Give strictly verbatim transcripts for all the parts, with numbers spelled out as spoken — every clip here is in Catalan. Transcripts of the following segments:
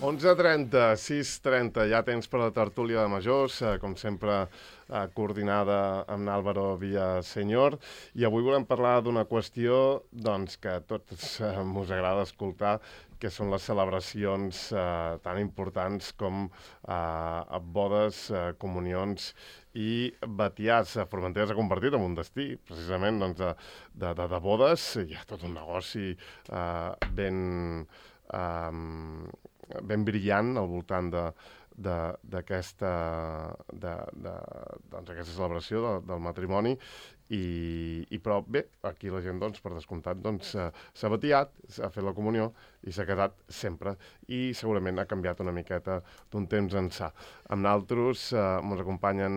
onze trenta, sis trenta, ja temps per la tertúlia de majors, eh, com sempre eh, coordinada amb Álvaro Villaseñor, i avui volem parlar d'una qüestió doncs, que a tots eh, mos agrada escoltar, que són les celebracions eh, tan importants com eh, bodes, eh, comunions i batiats. Formentera s'ha convertit en un destí, precisament, doncs, de, de, de, de bodes. Hi ha tot un negoci eh, ben... Eh, ben brillant al voltant de, de, d'aquesta, de, de, doncs, aquesta celebració de, del matrimoni. I, i però bé, aquí la gent, doncs, per descomptat, doncs, uh, s'ha batiat, s'ha fet la comunió i s'ha quedat sempre. I segurament ha canviat una miqueta d'un temps ençà. Amb naltros uh, ens acompanyen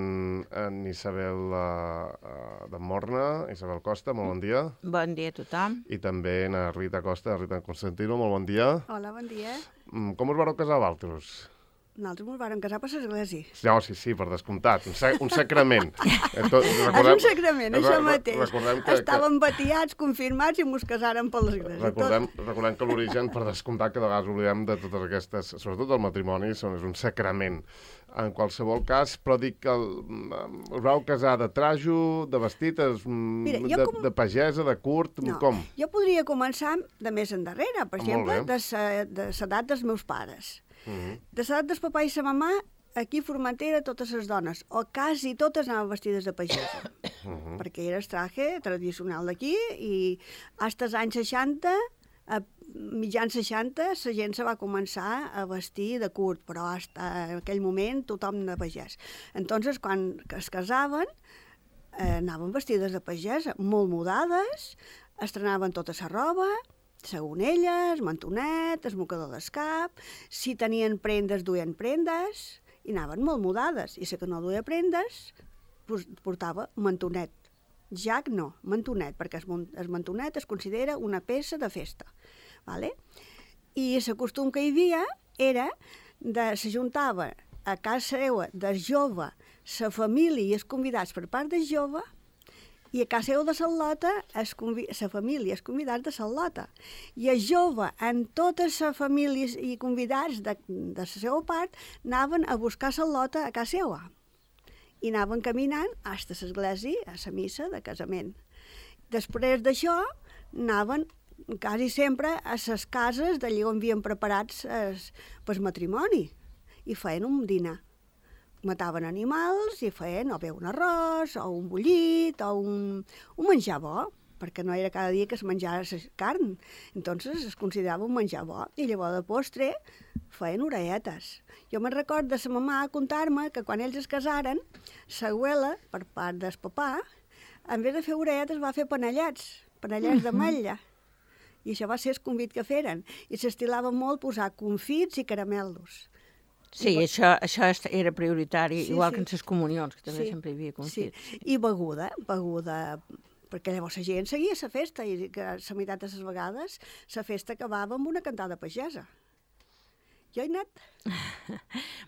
en Isabel uh, uh, de Morna, Isabel Costa, molt bon dia. Bon dia a tothom. I també en Rita Costa, Rita Constantino, molt bon dia. Hola, bon dia. Mm, com us vareu casar, vosaltres? Nosaltres ens vam casar per l'església. No, sí, sí, per descomptat. Un, sa un sacrament. Tot, recordem, és un sacrament, això mateix. Recordem que, Estàvem que... batiats, confirmats i ens casàrem per l'església. Recordem, recordem que l'origen, per descomptat, que de vegades oblidem de totes aquestes, sobretot el matrimoni, són, és un sacrament. En qualsevol cas, però dic que el, us vau casar de trajo, de vestit, Mira, de, com... de pagesa, de curt, no, com? Jo podria començar de més endarrere, per exemple, de l'edat dels meus pares. Uh -huh. De l'edat del papà i la mamà, aquí a Formentera totes les dones, o quasi totes, anaven vestides de pagesa, uh -huh. perquè era el traje tradicional d'aquí, i fins als anys seixanta, a mitjans seixanta, la gent se va començar a vestir de curt, però fins en aquell moment tothom de pagès. Entonces, quan es casaven, eh, anaven vestides de pagesa, molt mudades, estrenaven tota la roba, sagonelles, mantonet, el mocador d'escap, si tenien prendes, duien prendes, i anaven molt mudades, i la que no duia prendes, portava mantonet. Jac no, mantonet, perquè el mantonet es considera una peça de festa. Vale? I el costum que hi havia era de s'ajuntava a casa seva del jove, la família i els convidats per part del jove, i a casa seu de Salota, la família, els convidats de Salota. I el jove, en totes les famílies i convidats de, de la seva part, anaven a buscar Salota a casa seva. I anaven caminant fins a l'església, a la missa de casament. Després d'això, anaven quasi sempre a les cases d'allà on havien preparats el matrimoni i feien un dinar. Mataven animals i feien o bé un arròs, o un bullit, o un, un menjar bo, perquè no era cada dia que es menjava carn. Entonces es considerava un menjar bo. I llavors de postre feien orelletes. Jo me'n record de sa mamà contar-me que quan ells es casaren, l'abuela, per part del papà, en vez de fer orelletes va fer panellets, panellets d'ametlla. I això va ser el convit que feren. I s'estilava molt posar confits i caramelos. Sí, I, això, això era prioritari, sí, igual sí. que en les comunions, que també sí. sempre hi havia confits. Sí. I beguda, beguda, perquè llavors la gent seguia la festa, i que la meitat de les vegades la festa acabava amb una cantada pagesa. Jo he anat.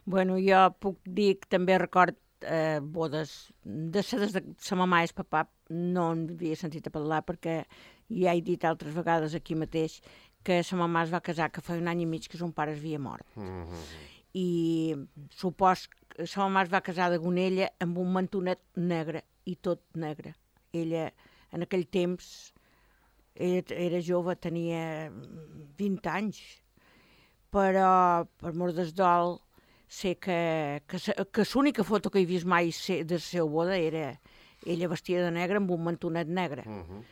Bueno, jo puc dir que també record eh, bodes de sa, de sa mamà i el papà, no en havia sentit a parlar, perquè ja he dit altres vegades aquí mateix que sa mamà es va casar, que fa un any i mig que son pare havia mort. Mm-hmm. I supos que sa mamà es va casar de Gonella amb un mantonet negre, i tot negre. Ella, en aquell temps, ella era jove, tenia vint anys, però, per mort del dol, sé que, que, que l'única foto que he vist mai de la seva boda era ella vestida de negre amb un mantonet negre. Uh-huh.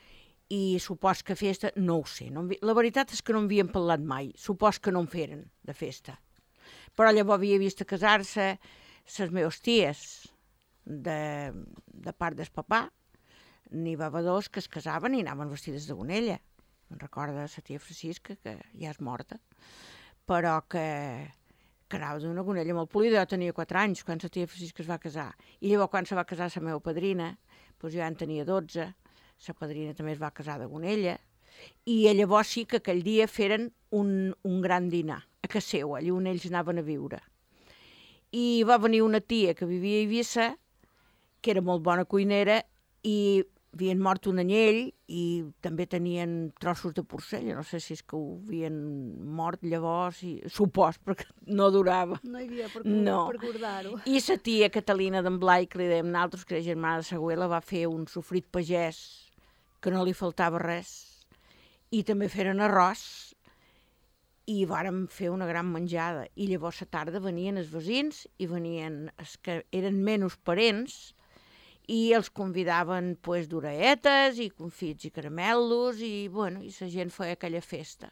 I supos que festa, no ho sé. No, la veritat és que no en havien parlat mai. Supos que no en feren, de festa. Però llavors havia vist a casar-se les meves ties de, de part del papà. N'hi va haver dos que es casaven i anaven vestides de Gonella. Me'n recorda la tia Francisca, que ja és morta, però que, que anava d'una Gonella molt polida. Jo tenia quatre anys quan la tia Francisca es va casar. I llavors quan se va casar la meva padrina, doncs jo ja en tenia dotze, la padrina també es va casar de Gonella, i llavors sí que aquell dia feren un, un gran dinar a casa seva, allà on ells anaven a viure. I va venir una tia que vivia a Eivissa, que era molt bona cuinera, i havien mort un anyell i també tenien trossos de porcella. No sé si és que ho havien mort llavors, i supos, perquè no durava. No hi havia per, no. per guardar-ho. I sa tia Catalina d'en Blai, que li dèiem nosaltres, que era germana de Sagüela, va fer un sofrit pagès que no li faltava res. I també feren arròs i vàrem fer una gran menjada. I llavors a tarda venien els veïns i venien els que eren menys parents i els convidaven pues, d'oreetes i confits i caramelos i, bueno, i la gent feia aquella festa.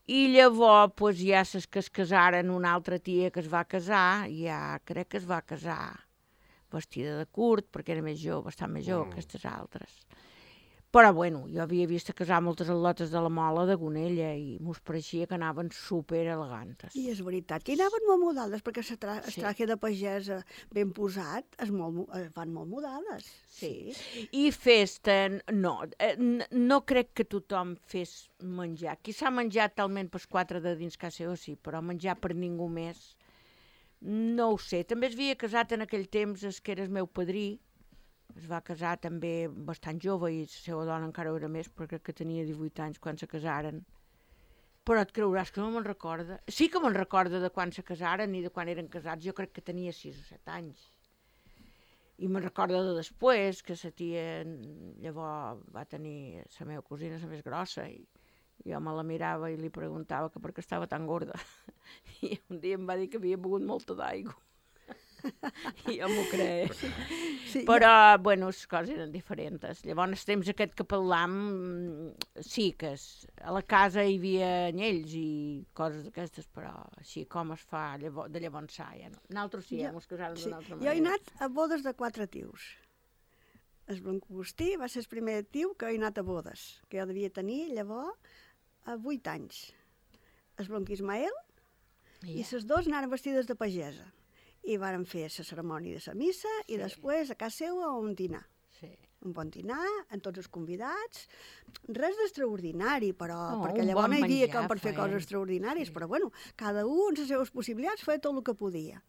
I llavors pues, ja ses que es casaren, una altra tia que es va casar, ja crec que es va casar vestida de curt, perquè era més jove, bastant més jove mm. que aquestes altres. Però, bueno, jo havia vist casar moltes atletes de la Mola de Gonella i mos pareixia que anaven super elegantes. I és veritat, que hi anaven molt modades, perquè el tra sí. traje de pagesa ben posat es, molt, es van molt modades. Sí. sí. I festa, no, no crec que tothom fes menjar. Qui s'ha menjat talment pels quatre de dins casa seva, sí, però menjar per ningú més, no ho sé. També es havia casat en aquell temps, es que era el meu padrí, es va casar també bastant jove i la seva dona encara ho era més, perquè crec que tenia divuit anys quan se casaren. Però et creuràs que no me'n recorda. Sí que me'n recorda de quan se casaren i de quan eren casats. Jo crec que tenia sis o set anys. I me'n recorda de després, que la tia llavors va tenir la meva cosina, la més grossa, i jo me la mirava i li preguntava que per què estava tan gorda. I un dia em va dir que havia begut molta d'aigua. I jo m'ho crec. Sí, però, ja. bueno, les coses eren diferents. Llavors, el temps aquest que parlam, sí que es, a la casa hi havia anyells i coses d'aquestes, però així com es fa llavors, de llavors sa, ja no. Nosaltres sí, hem casat sí. d'una altra manera. Jo he anat a bodes de quatre tios. El Blanc Agustí va ser el primer tiu que he anat a bodes, que jo devia tenir llavors a vuit anys. El Blanc Ismael yeah. i les dos anaven vestides de pagesa. I vàrem fer la cerimònia de la missa sí. i després a casa seva un dinar. Sí. Un bon dinar, amb tots els convidats. Res d'extraordinari, però, oh, perquè llavors bon no hi havia com per fer coses extraordinàries, sí. però bueno, cada un amb les seves possibilitats feia tot el que podia.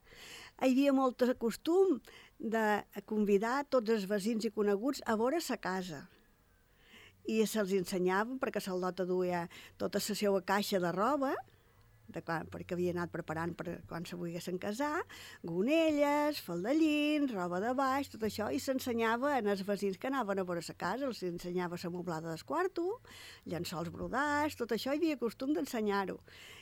Hi havia molt costum de convidar tots els veïns i coneguts a veure sa casa. I se'ls ensenyaven, perquè Saldota duia tota la seva caixa de roba, de quan, perquè havia anat preparant per quan se volguessin casar, gonelles, faldellins, roba de baix, tot això, i s'ensenyava als veïns que anaven a veure la casa, els ensenyava la moblada del quarto, llençols brodats, tot això hi havia costum d'ensenyar-ho.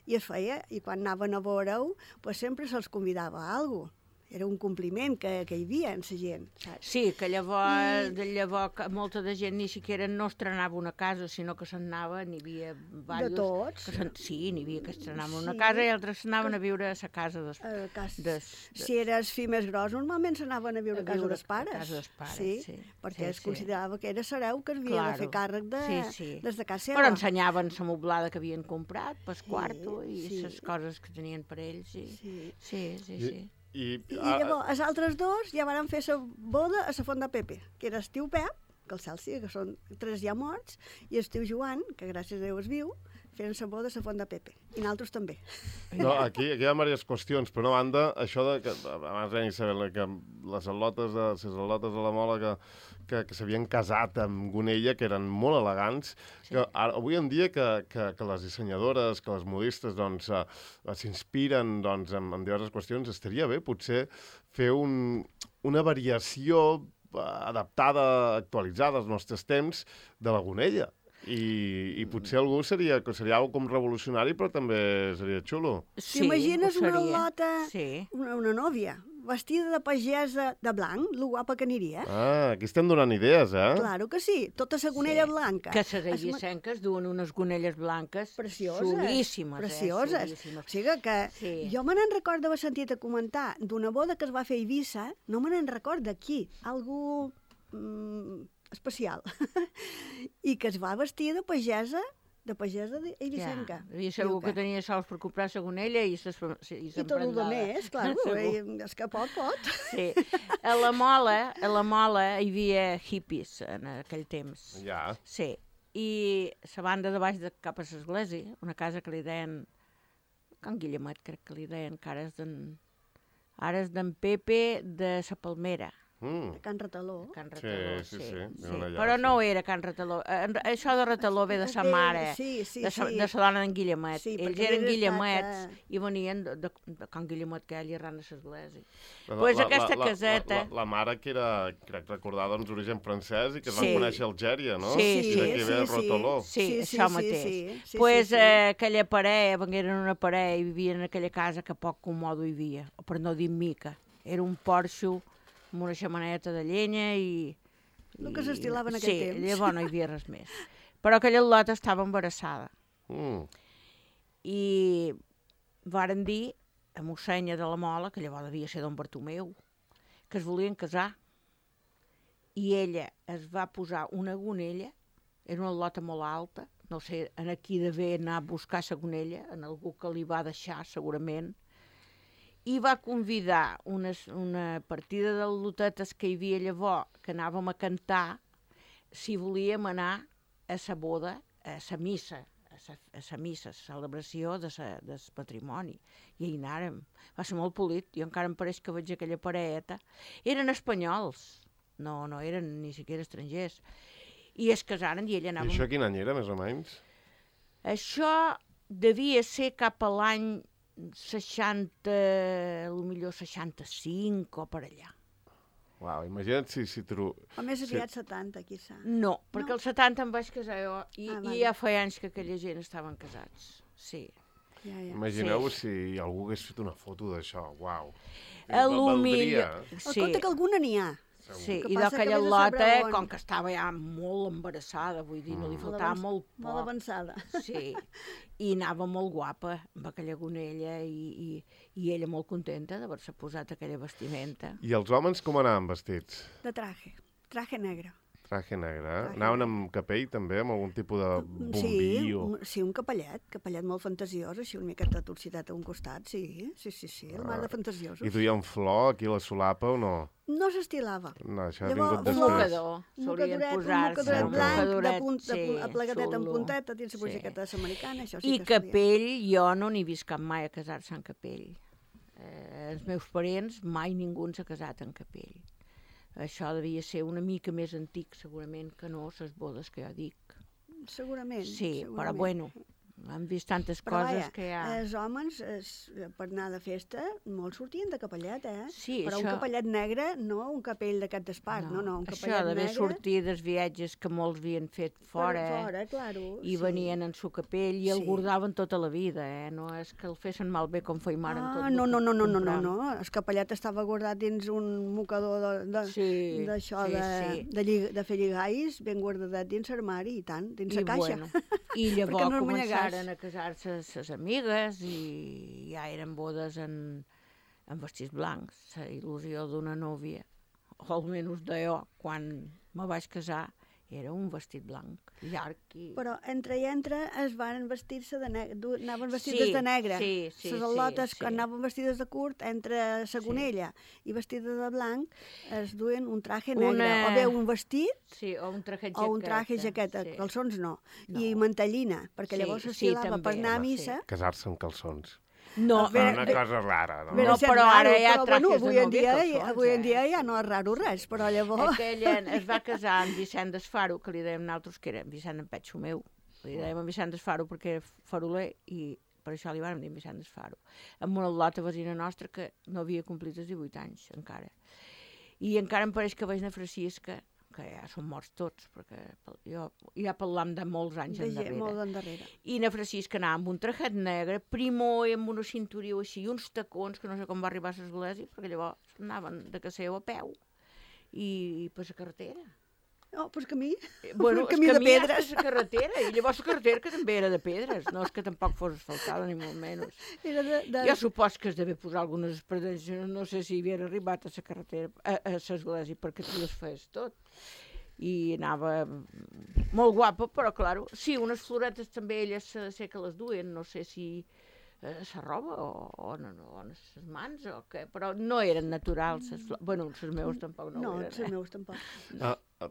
I es feia, i quan anaven a veure-ho, pues sempre se'ls convidava a alguna cosa. Era un compliment que, que hi havia en la gent, saps? Sí, que llavors, I... de llavors molta de gent ni siquiera no estrenava una casa, sinó que se'n anava, n'hi havia diversos... De tots? Que sí, n'hi havia que estrenaven sí. una casa i altres s'anaven a viure a la casa dels... Uh, cas... des, des... Si eres fill més gros, normalment s'anaven a viure a, a casa dels pares. A casa dels pares, sí. sí. Perquè sí, es considerava sí. que era hereu que havia claro. de fer càrrec de, sí, sí. des de casa seva. Però ensenyaven la moblada que havien comprat, pel quarto, i sí. les coses que tenien per ells. I... Sí, sí, sí. sí. I... I, I, I llavors, els altres dos ja van fer la boda a la Font de Pepe, que era el tio Pep, que el cel sí, que són tres ja morts, i el tio Joan, que gràcies a Déu es viu, feren la boda a la Font de Pepe. I nosaltres també. No, aquí, aquí hi ha diverses qüestions. Per una banda, això de que, abans deia Isabel, que les al·lotes de, les al·lotes de la Mola que, que, que s'havien casat amb Gonella, que eren molt elegants, sí. que ara, avui en dia que, que, que les dissenyadores, que les modistes doncs, s'inspiren doncs, en, en diverses qüestions, estaria bé potser fer un, una variació adaptada, actualitzada als nostres temps de la Gonella. I, i potser algú seria, seria algo com revolucionari, però també seria xulo. Sí, t'imagines una al·lota, sí. una, una nòvia, vestida de pagesa de blanc, lo guapa que aniria. Ah, aquí estem donant idees, eh? Claro que sí, tota la gonella sí. blanca. Que les eivissenques duen unes gonelles blanques precioses, xulíssimes. Precioses. Eh? Xulíssimes. O sigui que sí. jo me n'en recordo haver sentit a comentar d'una boda que es va fer a Eivissa, no me n'en recordo aquí, algú... Mm, especial, i que es va vestir de pagesa, de pagesa eivissenca. Ja, i segur que tenia sols per comprar la gonella i s'emprendava. I, I tot el més, clar, és que pot, pot. Sí. A la Mola, a la Mola hi havia hippies en aquell temps. Ja. Sí. I la banda de baix de cap a l'església, una casa que li deien, Can Guillemet crec que li deien, que ara és d'en, ara és d'en Pepe de sa Palmera. Mm. a Can Retaló. Can Retaló, Sí, sí, sí. sí, sí. era allà, Però sí. no era Can Retaló. Eh, Això de Retaló ve de sa Ve- mare, sí, sí, de sa, sí. de sa dona d'en Guillemet. Sí, Ells perquè eren hagués guillemets estat, i venien de, de, de Can Guillemet, que allà ran a l'església. La, Pues la, aquesta la, caseta... La, la, la mare que era, crec recordar, doncs, d'origen francès i que es Sí. va conèixer a Algèria, no? Sí, I sí, d'aquí ve el Rotoló. Sí, Sí, sí, això sí, mateix. sí, sí, pues sí, sí. Eh, aquella parella, vengueren una parella i vivien en aquella casa que poc comodo hi havia, o per no dir mica. Era un porxo amb una xamaneta de llenya i... El que s'estilava en sí, aquell temps. Sí, llavors no hi havia res més. Però aquella lota estava embarassada. Mm. I varen dir a mossenya de la Mola, que llavors devia ser don Bartomeu, que es volien casar. I ella es va posar una gonella, era una lota molt alta, no sé, en aquí d'haver anar a buscar la gonella, en algú que li va deixar segurament, i va convidar una, una partida de lotetes que hi havia llavors, que anàvem a cantar, si volíem anar a sa boda, a sa missa, a sa, a sa missa, a sa celebració de sa, del patrimoni. I hi anàrem. Va ser molt polit. Jo encara em pareix que veig aquella parelleta. Eren espanyols. No, no eren ni siquiera estrangers. I es casaren i ella anava... I això quin any era, més o menys? Això devia ser cap a l'any seixanta, potser seixanta-cinc o per allà. Uau, imagina't si... si tro... O més si- aviat setanta, quizà. No, perquè No. als setanta em vaig casar jo i, Ah, i vale. ja feia anys que aquella gent estaven casats. Sí. Ja, ja. Imagineu si algú hagués fet una foto d'això, uau. A Va- lo valdria, millor... eh? Sí. Compte que alguna n'hi ha. Sí, que i passa d'aquella que vés a lota, saber on. com que estava ja molt embarassada, vull dir, no li Mm. faltava avanç- molt Molt poc. avançada. Sí, i anava molt guapa amb aquella gonella i, i, i ella molt contenta d'haver-se posat aquella vestimenta. I els homes com anaven vestits? De traje. Traje negre. Traje negre, eh? Traje Anaven negre. amb capell, també, amb algun tipus de Sí, bombillo? un, sí, un capellet, capellet molt fantasiós, així una miqueta torcidat a un costat, sí, sí, sí, sí, el mar de fantasiosos. I duien flor aquí a la solapa o no? No s'estilava. No, això ha Llavors, vingut Un flor- després. mocador, Un solien mocadoret, un posar-se. mocadoret un blanc, de, mocadoret, punt, de, punt, sí, aplegadet amb xulo. punteta, dins la Sí. boixequeta americana, això sí I que solia. capell, jo no n'he vist cap mai a casar-se en capell. Eh, els meus parents, mai ningú s'ha casat en capell. Això devia ser una mica més antic, segurament, que no les bodes que jo dic. Segurament. Sí, segurament. però bueno, hem vist tantes Però coses vaja, que hi ha... els homes, es, per anar de festa, molts sortien de capellet, eh? Sí, però això- un capellet negre, no un capell d'aquest d'espart, no, no, un Això capellet d'haver negre... sortit dels viatges que molts havien fet fora, Per eh? fora, claro. I sí. venien en su capell i el Sí. guardaven tota la vida, eh? No és que el fessin malbé com feia mare en tot Ah, el no, que no, no, no, no, no, compram. no. El capellet estava guardat dins un mocador de, de, Sí, d'això, sí, de, sí. de, lli- de fer lligais, ben guardadet dins l'armari, i tant, dins I, la caixa. bueno, I Perquè llavors no es començaren manyegàs. a casar-se ses amigues i ja eren bodes en, en vestits blancs. La il·lusió d'una núvia, o almenys de jo, quan me vaig casar, era un vestit blanc, llarg i... Però entre i entre es van vestir-se de negre, du- anaven vestides Sí, de negre. sí, sí, Les sí, al·lotes sí. que anaven vestides de curt, entre la gonella i vestida de blanc, es duen un traje negre, Una- o bé un vestit Sí, o un traje o un traje jaqueta, sí. calçons no, No. i mantellina, perquè Sí, llavors sí, s'estilava per també, anar a home, sí. missa. Casar-se amb calçons. No, A veure, Una bé- cosa rara, no? Bé, No, sent però ara raro, hi ha però, trajes bueno, de avui en novia dia, calçons, avui en eh? dia ja no és raro res, però llavors... Aquell es va casar amb Vicent d'Esfaro, que li dèiem nosaltres que era Vicent en Petxo meu. Li dèiem en Vicent d'Esfaro perquè era faroler i per això li vam dir Vicent d'Esfaro. Amb una lota vecina nostra que no havia complit els divuit anys encara. I encara em pareix que veig na Francisca, que ja són morts tots, perquè jo ja parlam de molts anys de gent endarrere. molt endarrere. I na Francisca anava amb un trajet negre, primó i amb una cinturia així, i uns tacons, que no sé com va arribar a l'església, perquè llavors anaven de Caseu a peu i, i per la carretera. Oh, pues camí, Bueno, un camí el de camí hasta pedres. la carretera, i llavors la carretera que també era de pedres, no és que tampoc fos asfaltada, ni molt menys. Era de, de... Jo supos que es devia posar algunes espardents, no sé si havia arribat a la carretera, a, a l'església, perquè tu les feies tot. I anava molt guapa, però, clar, sí, unes floretes també elles sé, sé que les duien, no sé si eh, la roba o, o, no, no, o les mans o què, però no eren naturals. Les flors. Bueno, les meus tampoc no, No, ho els eren. Eh? meus tampoc. Ah, ah,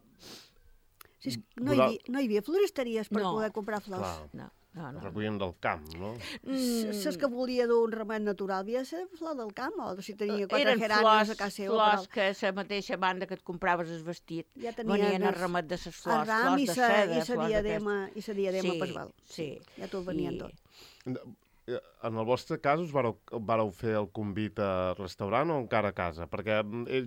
Si és, no, hi havia, no hi havia floristeries per No. poder comprar flors. clar. No. no, no. Recollien del camp, no? Mm. Saps que volia d'un remet natural, havia de ser flor del camp, o si tenia quatre Eren gerànios flors, a casa seva. flors que a la mateixa banda que et compraves el vestit ja venien a remet de les flors, flors de seda, i sa flors diadema, i sa diadema sí, per val. Sí, ja t'ho venien I... tot. En el vostre cas us vareu, vareu fer el convit a restaurant o encara a casa? Perquè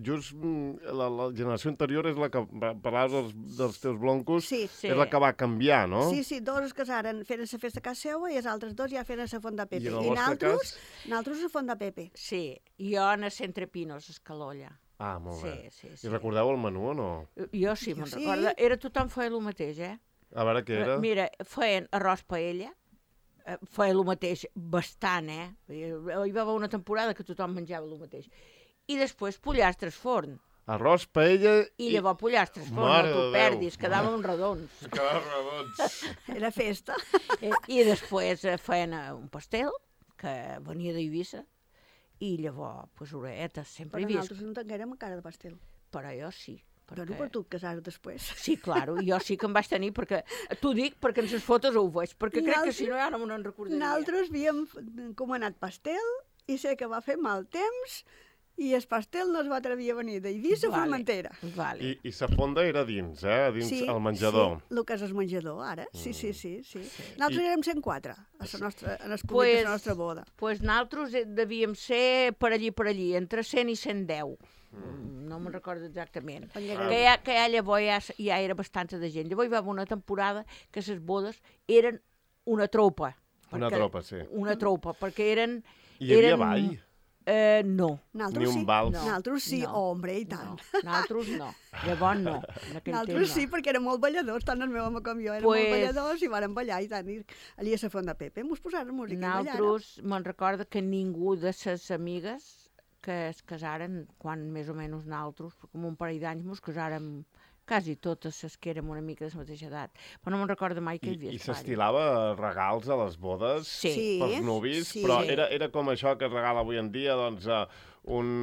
just la, la generació anterior és la que, parlaves dels, dels teus bloncos, sí, sí. és la que va canviar, no? Sí, sí, dos es casaren fent la festa a casa seva i els altres dos ja fent la Font de Pepe. I en el I vostre naltros, cas? naltros a Font de Pepe. Sí, jo a Centre Pinos, a Escalolla. Ah, molt bé. Sí, sí, sí. I recordeu el menú o no? Jo sí, me'n sí. recordo. Era tothom feia el mateix, eh? A veure què era? Mira, feien arròs paella, feia el mateix bastant, eh? Hi va haver una temporada que tothom menjava el mateix. I després pollastres forn. Arròs, paella... I llavors pollastres forn, Mare no t'ho de Déu. perdis, quedaven uns redons. Quedaven redons. Era festa. I després feien un pastel, que venia d'Eivissa, i llavors, pues, oretes, sempre Però hi havia... nosaltres no tinguérem cara de pastel. Però jo sí. Perquè... Però per tu et casares després. Sí, claro, jo sí que em vaig tenir, perquè t'ho dic perquè en les fotos ho veig, perquè crec Naltros... que si no ja no me n'en recordaria. Nosaltres havíem comanat pastel i sé que va fer mal temps i el pastel no es va atrevir a venir d'Eivissa a vale, Formentera. Vale. I, I sa fonda era dins, eh? Dins sí, el menjador. Sí, el que és el menjador, ara. Sí, sí, sí. sí. sí. Nosaltres I... érem cent quatre a la nostra, en el pues, de la nostra boda. Doncs pues nosaltres devíem ser per allí, per allí, entre cent i cent deu. Mm. No me'n recordo exactament. Ah. Que ja, que ja llavors ja, ja era bastanta de gent. Llavors hi va haver una temporada que les bodes eren una tropa. Una tropa, sí. Una tropa, perquè eren... I hi havia eren, ball? Eh, no. Nosaltres Ni un sí. vals? No. Nosaltres sí, no, hombre, i tant. No. Nosaltres no. Llavors no. Nosaltres sí, perquè érem molt balladors, tant el meu home com jo, érem pues... molt balladors i vàrem ballar i tant. I allà a la Font de Pepe mos posaren música i ballàrem. Nosaltres, me'n recordo que ningú de ses amigues que es casaren, quan més o menys nosaltres, com un parell d'anys mos casàrem quasi totes les que érem una mica de la mateixa edat. Però no me'n recordo mai que hi havia I, i s'estilava regals a les bodes sí. pels nuvis, sí. però era, era com això que es regala avui en dia, doncs, uh, un,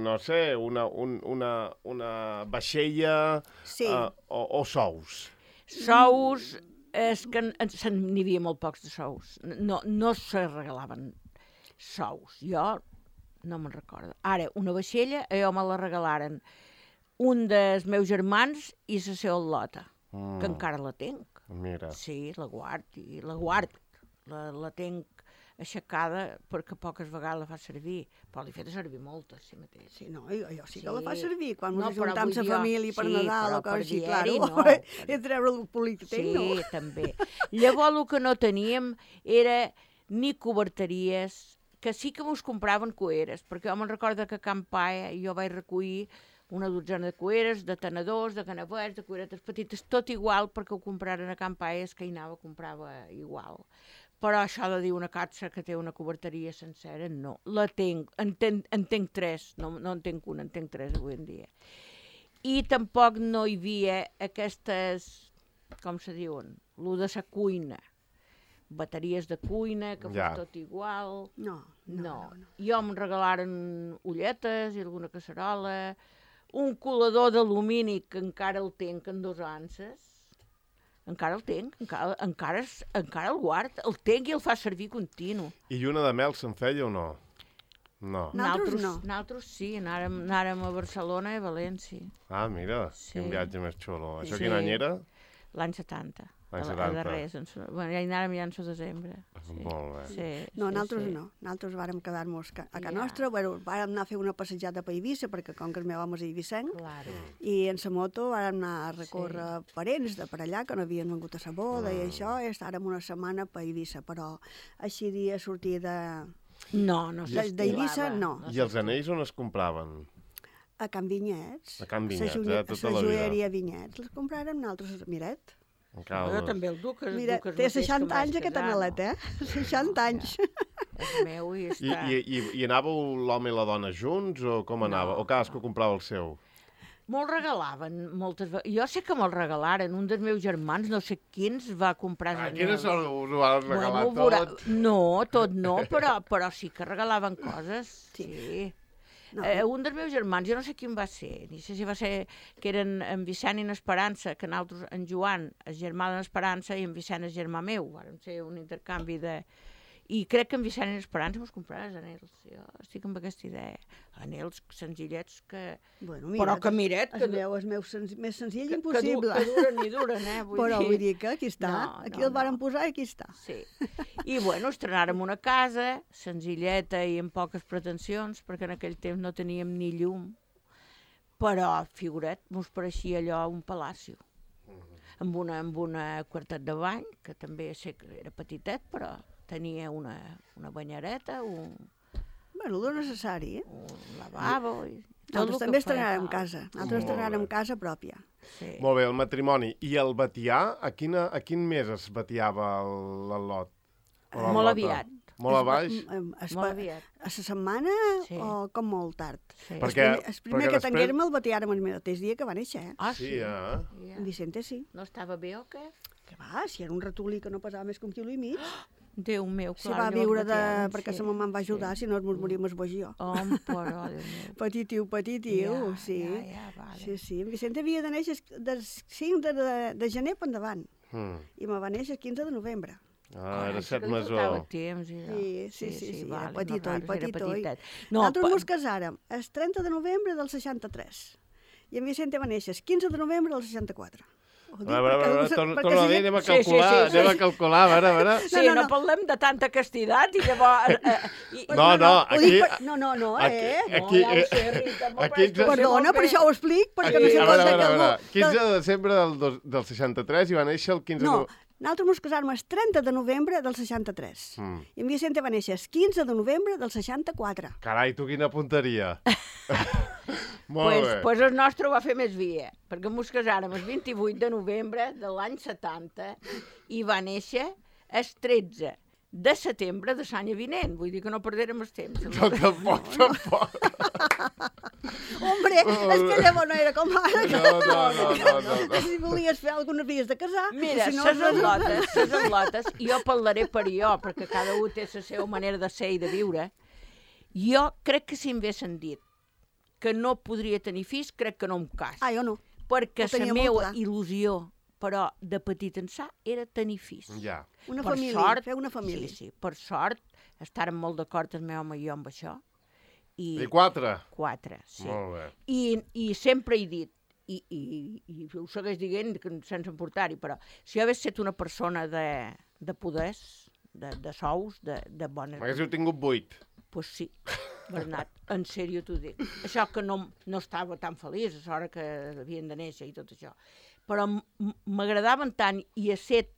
no sé, una, un, una, una vaixella sí. uh, o, o sous. Sous, és que n'hi havia molt pocs de sous. No, no se regalaven sous. Jo no me'n recordo. Ara, una vaixella, a jo me la regalaren un dels meus germans i la seva lota, mm. que encara la tenc. Mira. Sí, la guard, i la guard. La, la tenc aixecada perquè poques vegades la fa servir, però l'he fet servir moltes, sí mateix. Sí, no, jo, jo sí, sí que la fa Sí. servir, quan No, ens però ajuntem vull la dir, família per sí, Nadal però o coses per així, diari claro, no. i treure el polític, Sí, no? també. Llavors el que no teníem era ni coberteries, que sí que mos compraven cueres, perquè jo me'n recordo que a Can Paia jo vaig recollir una dotzena de cueres, de tenedors, de canavets, de cueretes petites, tot igual perquè ho compraren a Can Paia, és que hi anava, comprava igual. Però això de dir una capsa que té una coberteria sencera, no. La tenc, en, ten, en tenc tres, no, no en tenc una, en tenc tres avui en dia. I tampoc no hi havia aquestes, com se diuen, lo de la cuina, bateries de cuina, que fos Ja. tot igual. No, no, No. no. no. Jo em regalaren ulletes i alguna casserola, un colador d'alumini que encara el tenc en dos anses, encara el tenc, encara, encara, es- encara el guard, el tenc i el fa servir continu. I lluna de mel se'n feia o no? No. Nosaltres no. Nosaltres sí, anàrem, anàrem a Barcelona i a València, Ah, mira, Sí. quin viatge més xulo. Això Sí. quin any era? l'any setanta. L'any a, la- setanta. A darrers, en, su- bueno, ja hi anàrem ja en su desembre. Sí. Molt bé. Sí, No, sí, nosaltres sí. no. Nosaltres vàrem quedar-nos a casa Ja. nostra, bueno, vàrem anar a fer una passejada per Eivissa, perquè com que el meu home és eivissenc, Claro. i en sa moto vàrem anar a recórrer sí. parents de per allà, que no havien vengut a sa boda, i això, i estàrem una setmana per Eivissa, però així dia sortir de... No, no De- s'estilava. d'Eivissa, no. I els anells on es compraven? A Can Vinyets. A Can Vinyets, Sa joie- eh, tota sa la vida. joieria Vinyets. Les compràrem nosaltres, miret. En Jo Caldes. també el duc, el Mira, duc és té mateix que seixanta em vaig anys aquest casar, analet, eh? seixanta anys. És meu i I, està... i, i, I anàveu l'home i la dona junts o com anava? No, O cadascú comprava el seu? Me'l regalaven moltes vegades. Jo sé que me'l regalaren. Un dels meus germans, no sé quins, va comprar... Ah, anells. quines són? Us ho van regalar Bueno, veurà- tot? No, tot no, però, però sí que regalaven coses. Sí. sí. No. Eh, un dels meus germans, jo no sé quin va ser, ni sé si va ser que eren en Vicent i en Esperança, que nosaltres, en Joan, és germà d'en Esperança, i en Vicent és germà meu. Vam ser un intercanvi de... I crec que en Vicent i en Esperança mos compraràs anells. Jo estic amb aquesta idea. Anells senzillets que... Bueno, mira, però que miret... El meu és meu sen més senzill que, impossible. Que, du que duren i duren, eh? Vull però dir... vull dir que aquí està. No, aquí no, el varen no. posar i aquí està. Sí. I, bueno, estrenàrem una casa, senzilleta i amb poques pretensions, perquè en aquell temps no teníem ni llum. Però, figuret, mos pareixia allò un palacio. Amb una, amb una quartet de bany, que també sé que era petitet, però tenia una, una banyareta, un... Bueno, el necessari, eh? Un lavabo... I tot Nosaltres també estrenàrem casa. Nosaltres estrenàrem casa pròpia. Sí. Molt bé, el matrimoni. I el batiar, a, quina, a quin mes es batiava el, el lot? O la Molt lota? aviat. Molt a baix? Es, es, Molt aviat. A la setmana Sí. o com molt tard. Sí. Perquè- el primer, el primer perquè que després- tinguérem el batiàrem el mateix dia que va néixer, eh? Ah, Sí, sí? eh? Ja. En Vicente sí. No estava bé o què? Que va, si era un ratolí que no pesava més que un quilo i mig, Déu meu, si clar. va llavors viure de... batiàvem, perquè sí, sa mamà em va ajudar, sí. si no ens moríem es bogió. Oh, però, Déu meu. Petitiu, petitiu, Ja, sí. ja, ja, vale. Sí, sí. En Vicente havia de néixer del cinc de, de, de gener per endavant. Mm. I me va néixer el quinze de novembre. Ah, era això set que li faltava mesó. temps. I allò. Sí, sí, sí, sí, era vale, petit no, oi, clar, era petit oi. petitet. No, Nosaltres pa- mos casàrem el trenta de novembre del seixanta-tres. I en Vicente va néixer el quinze de novembre del seixanta-quatre. Ho dic A veure, a perquè- veure, torna perquè torna a si dir, ja- anem a Sí, sí, calcular, sí, sí. anem a calcular, a veure, a veure. Sí, No, no, no, no, no. parlem de tanta castidat i llavors... Eh, eh, i, No, no, ho aquí... dic per- No, no, no, aquí- eh? aquí- no, ja ho sé, Rita, m'ho aquí- presto, Perdona, per això ho explic, perquè Aquí, no sé a veure, a cosa veure, a que veure. algú... quinze de desembre del, dos- del seixanta-tres i va néixer el quinze No, de... nosaltres mos casàrem el trenta de novembre del seixanta-tres. Mm. I en Vicente va néixer el quinze de novembre del seixanta-quatre. Carai, tu quina punteria. Molt pues, bé. pues el nostre ho va fer més via, perquè mos casàrem el vint-i-vuit de novembre de l'any setanta i va néixer el tretze de setembre de l'any vinent. Vull dir que no perdérem el temps. No, tampoc, tampoc. Hombre, és que llavors no era com ara. que- No, no, no, no, no, no. Si volies fer alguna havies de casar. Mira, si no, ses no- atlotes, ses atlotes, jo parlaré per jo, perquè cada un té la seva manera de ser i de viure. Jo crec que si em haguessin dit que no podria tenir fills, crec que no em cas. Ah, jo no. Perquè ho tenia la molt meva clar. il·lusió, però de petit ençà, era tenir fills. Ja. Una Per família, sort, fer una família. Sí, sí, per sort, estàrem molt d'acord el meu home i jo amb això. I, I quatre? quatre, sí. Molt bé. I, I sempre he dit, i, i, i ho segueix dient que sense emportar-hi, però si jo hagués estat una persona de, de poders, de, de sous, de, de bones... M'haguéssiu tingut vuit. Pues sí, Bernat, en sèrio t'ho dic. Això que no, no estava tan feliç a l'hora que havien de néixer i tot això. Però m- m- m'agradaven tant i a set,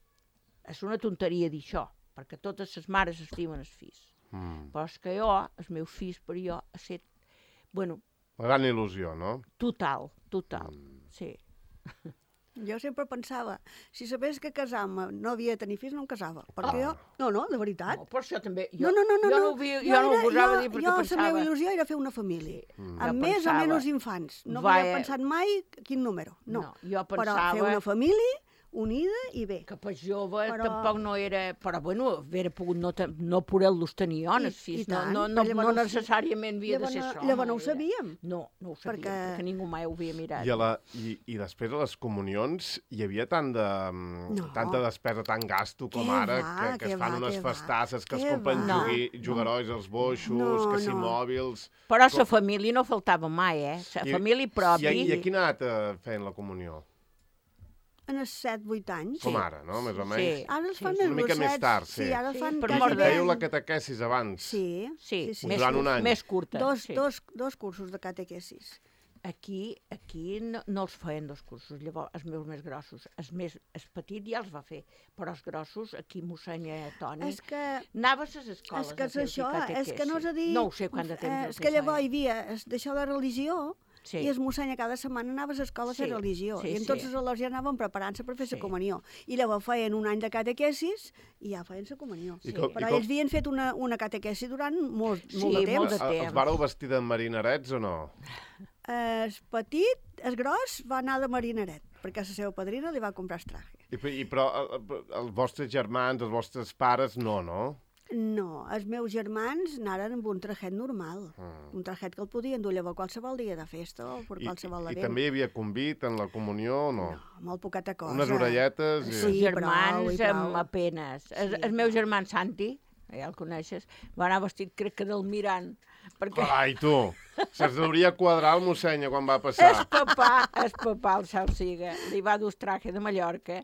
és una tonteria dir això, perquè totes les mares estimen els fills. Mm. Però és que jo, els meus fills per jo, a set, bueno, Una gran il·lusió, no? total, total, Mm. sí. Jo sempre pensava, si sabés que casar-me no havia de tenir fills, no em casava. Perquè Ah. jo... No, no, de veritat. No, per això també, jo, No, no, no, no. jo no, no. ho, vi, jo, Jo no ho era- gosava jo- dir perquè jo, pensava... la meva il·lusió era fer una família. Mm. Amb Jo més o pensava- menys infants. No Va, havia eh, pensat mai quin número. No. No, jo Però pensava... fer una família unida i bé. que per jove Però- tampoc no era... Però, bueno, haver pogut no, te- no poder-los tenir jo, I- els fills. i tant, no, no, però no, llavors no no ho- necessàriament havia llavors de ser no- això. llavors no ho era- sabíem. No, no ho sabíem, Perquè- perquè ningú mai ho havia mirat. I, a la, i, I després a les comunions hi havia tant de, No. tanta despesa, tant gasto com Què ara, va, que, que què es fan va, unes què va. festasses, que es Què compren va. jugui, jugarois als boixos, No, que si no. mòbils... Però Com- la família no faltava mai, eh? La I- família pròpia... I, I a quina edat eh, feien la comunió? En els set, vuit anys. Com ara, no? Més o Sí. menys. Ara els Sí, fan sí. més Una mica més grossets. tard, sí. Sí, ara els Sí, fan per quasi mort Us de bé. dèieu la catequesis abans. Sí, Sí, sí, sí. Més, Durant un any. més curta. Dos, sí. dos, dos cursos de catequesis. Aquí, aquí no, no els feien dos cursos, llavors els meus més grossos. Els, més, els petits ja els va fer, però els grossos, aquí mossenya Toni, És que, anava a les escoles és que a és fer això, catequesi. és que no és a dir... No ho sé quant de temps. eh, el És que llavors feien. hi havia es- d'això de religió, Sí. i es mossenya cada setmana anava a l'escola a fer Sí, religió. sí, I en sí. tots els alors ja anaven preparant-se per fer la Sí. comunió. I llavors feien un any de catequesis i ja feien la comunió. I com- Però i com- ells havien fet una, una catequesi durant molt, Sí, molt de temps. molt de Eh, temps. Els vareu vestir de marinarets o no? El petit, el gros, va anar de marinaret, perquè la seva padrina li va comprar el traje. I, i, però eh, eh, els vostres germans, els vostres pares, no, no? No, els meus germans anaren amb un trajet normal, mm. un trajet que el podien dur llavors qualsevol dia de festa o per qualsevol I, adeu. I també hi havia convit en la comunió o no? No, molt poqueta cosa. Unes orelletes... I... Sí, els germans prou, amb apenes. Sí, el, el meu germà Santi, ja el coneixes, va anar vestit crec que del Mirant. Perquè... Ai, tu! Se'ns hauria quadrar el mossenya quan va passar. El papà, el papà, el cel siga, li va dur traje de Mallorca.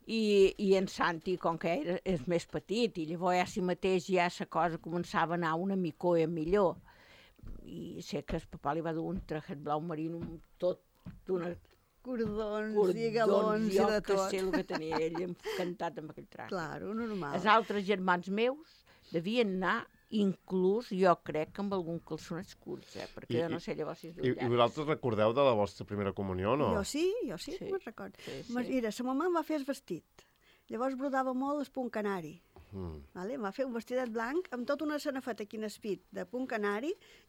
I, i en Santi, com que era, és més petit, i llavors ja si mateix ja la cosa començava a anar una micoia millor. I sé que el papà li va dur un trajet blau marino tot d'una... Cordons, cordons i galons i de tot. Jo que sé el que tenia ell encantat amb aquell traje. Claro, normal. Els altres germans meus devien anar inclús, jo crec, que amb algun calçonets curts, eh? Perquè I, jo no sé llavors si és I, I vosaltres recordeu de la vostra primera comunió, no? Jo sí, jo sí, sí. me'n recordo. Sí, sí. Mira, sa mamà em va fer el vestit. Llavors brodava molt el punt canari. Mm. Vale? Em va fer un vestidet blanc amb tota una sanefeta aquí en espit de punt canari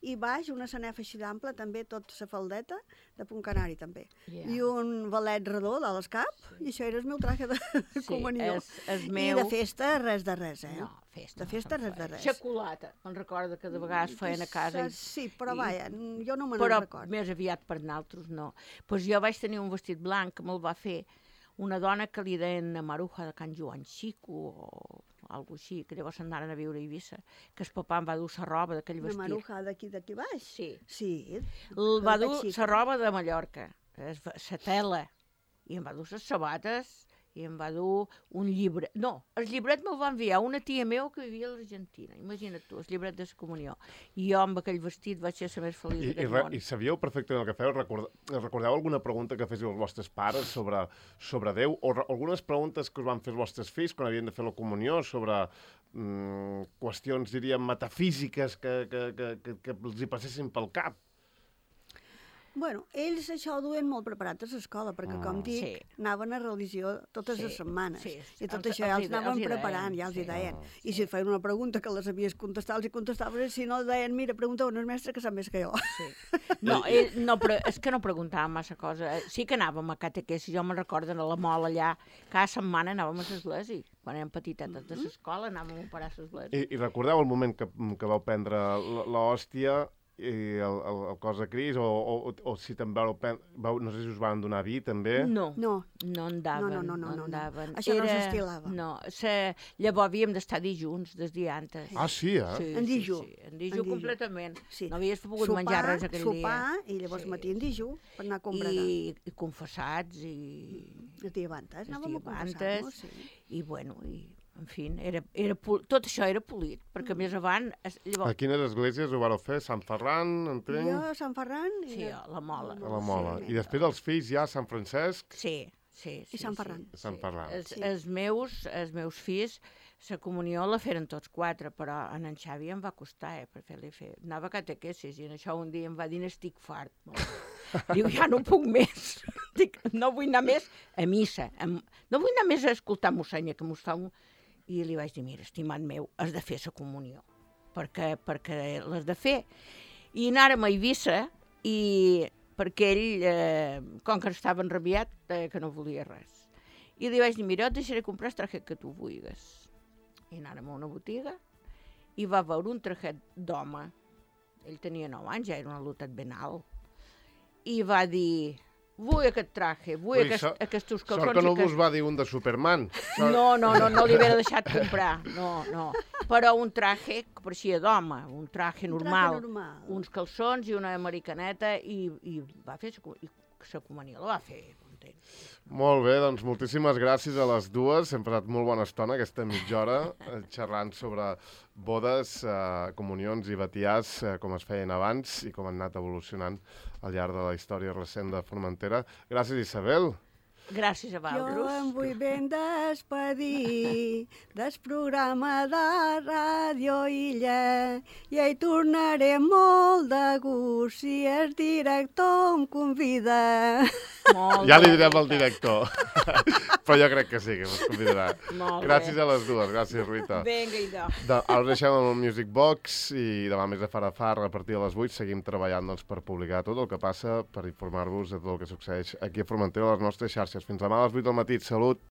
i baix una sanefa així d'ample, també tota la faldeta de punt canari també. Yeah. I un valet redó dalt al cap, sí. I això era el meu traje de sí, comunió. És, és meu... I de festa res de res, eh? No, festa. De festa res de res. Xocolata, me'n recordo que de vegades feien a casa. I... Sí, però i... vaja, jo no me'n recordo. Però més aviat per naltros no. Pues jo vaig tenir un vestit blanc que me'l va fer una dona que li deien Maruja de Can Joan Xico o alguna així, que llavors anaren a viure a Eivissa, que el papà em va dur la roba d'aquell vestit. La Maruja d'aquí d'aquí baix? Sí. Sí. El va dur la roba de Mallorca, la tela, i em va dur les sabates, i em va dur un llibre... No, el llibret me'l va enviar una tia meva que vivia a l'Argentina. Imagina't tu, el llibret de la comunió. I jo amb aquell vestit vaig ser la més feliç d'aquest món. I sabíeu perfectament el que feu? Record, recordeu alguna pregunta que féssiu els vostres pares sobre, sobre Déu? O re, algunes preguntes que us van fer els vostres fills quan havien de fer la comunió sobre mm, qüestions, diríem, metafísiques que, que, que, que, que els hi passessin pel cap? Bueno, ells això ho duen molt preparat a l'escola, perquè, com dic, sí. anaven a religió totes sí. les setmanes. Sí. I tot els, això ja els, els anaven els preparant, deien, ja els sí. hi deien. Oh, I sí. si feien una pregunta que les havies contestat, els hi contestaves, si no, deien, mira, pregunta un mestre que sap més que jo. Sí. No, ell, no, però és que no preguntàvem massa cosa. Sí que anàvem a catequesi, jo me'n recordo a la Mola allà, cada setmana anàvem a l'església. Quan érem petitetes de l'escola anàvem a operar a l'església. I, I recordeu el moment que, que vau prendre l'hòstia i el, el, el cos de Cris, o, o, o si també vau, no sé si us van donar vi, també? No, no, no en daven. No, no, no, no, no, no. no. Això Era... no s'estilava. No, se... llavors havíem d'estar dijuns, des diantes. Ah, sí, eh? Sí, en dijú. Sí, sí. En dijú en completament. Sí. No havies pogut sopar, menjar res aquell sopar, dia. Sopar, i llavors sí. matí en dijú, per anar a combregar. I, i confessats, i... Els diabantes, anàvem a confessar-nos, sí. I, bueno, i... En fi, era, era, tot això era polit, perquè mm. més avant... Llavors... A quines esglésies ho vareu fer? Sant Ferran, entenc? Jo, Sant Ferran... I sí, a la Mola. A la Mola. Sí. I després els fills ja a Sant Francesc? Sí, sí. sí I Sant Ferran. Sí, Sant Ferran. Sí. Els, sí. els, meus, els meus fills, la comunió la feren tots quatre, però en en Xavi em va costar, eh, per fer-li fer. Anava a catequesis i en això un dia em va dir, estic fart. Diu, ja no puc més. Dic, no vull anar més a missa. No vull anar més a escoltar mossenya, que mos fa un... I li vaig dir, mira, estimat meu, has de fer la comunió, perquè, perquè l'has de fer. I anàrem a Eivissa, i perquè ell, eh, com que estava enrabiat, eh, que no volia res. I li vaig dir, mira, et deixaré comprar el trajet que tu vulguis. I anàrem a una botiga, i va veure un trajet d'home. Ell tenia nou anys, ja era un alotat ben alt. I va dir... Vull aquest traje, vull Ui, aquest, so, aquests calçons... Sort que no que... us va dir un de Superman. Sort... No, no, no, no li havia deixat comprar, no, no. Però un traje que pareixia d'home, un traje normal, un traje normal, uns calçons i una americaneta, i, i va fer la comunió, la va fer content. Molt bé, doncs moltíssimes gràcies a les dues. Hem passat molt bona estona, aquesta mitja hora, xerrant sobre bodes, eh, comunions i batiars, eh, com es feien abans i com han anat evolucionant al llarg de la història recent de Formentera. Gràcies, Isabel. Gràcies a vosaltres. Jo em vull ben despedir del programa de Ràdio Illa i hi tornaré molt de gust si el director em convida. Molt ja li direm al director, però jo crec que sí, que ens convidarà. Molt gràcies bé. A les dues, gràcies, Rita. Vinga, idò. De, ara deixem amb el Music Box i demà més de far a far, a partir de les vuit, seguim treballant doncs, per publicar tot el que passa, per informar-vos de tot el que succeeix aquí a Formentera a les nostres xarxes. Fins demà a les vuit del matí. Salut!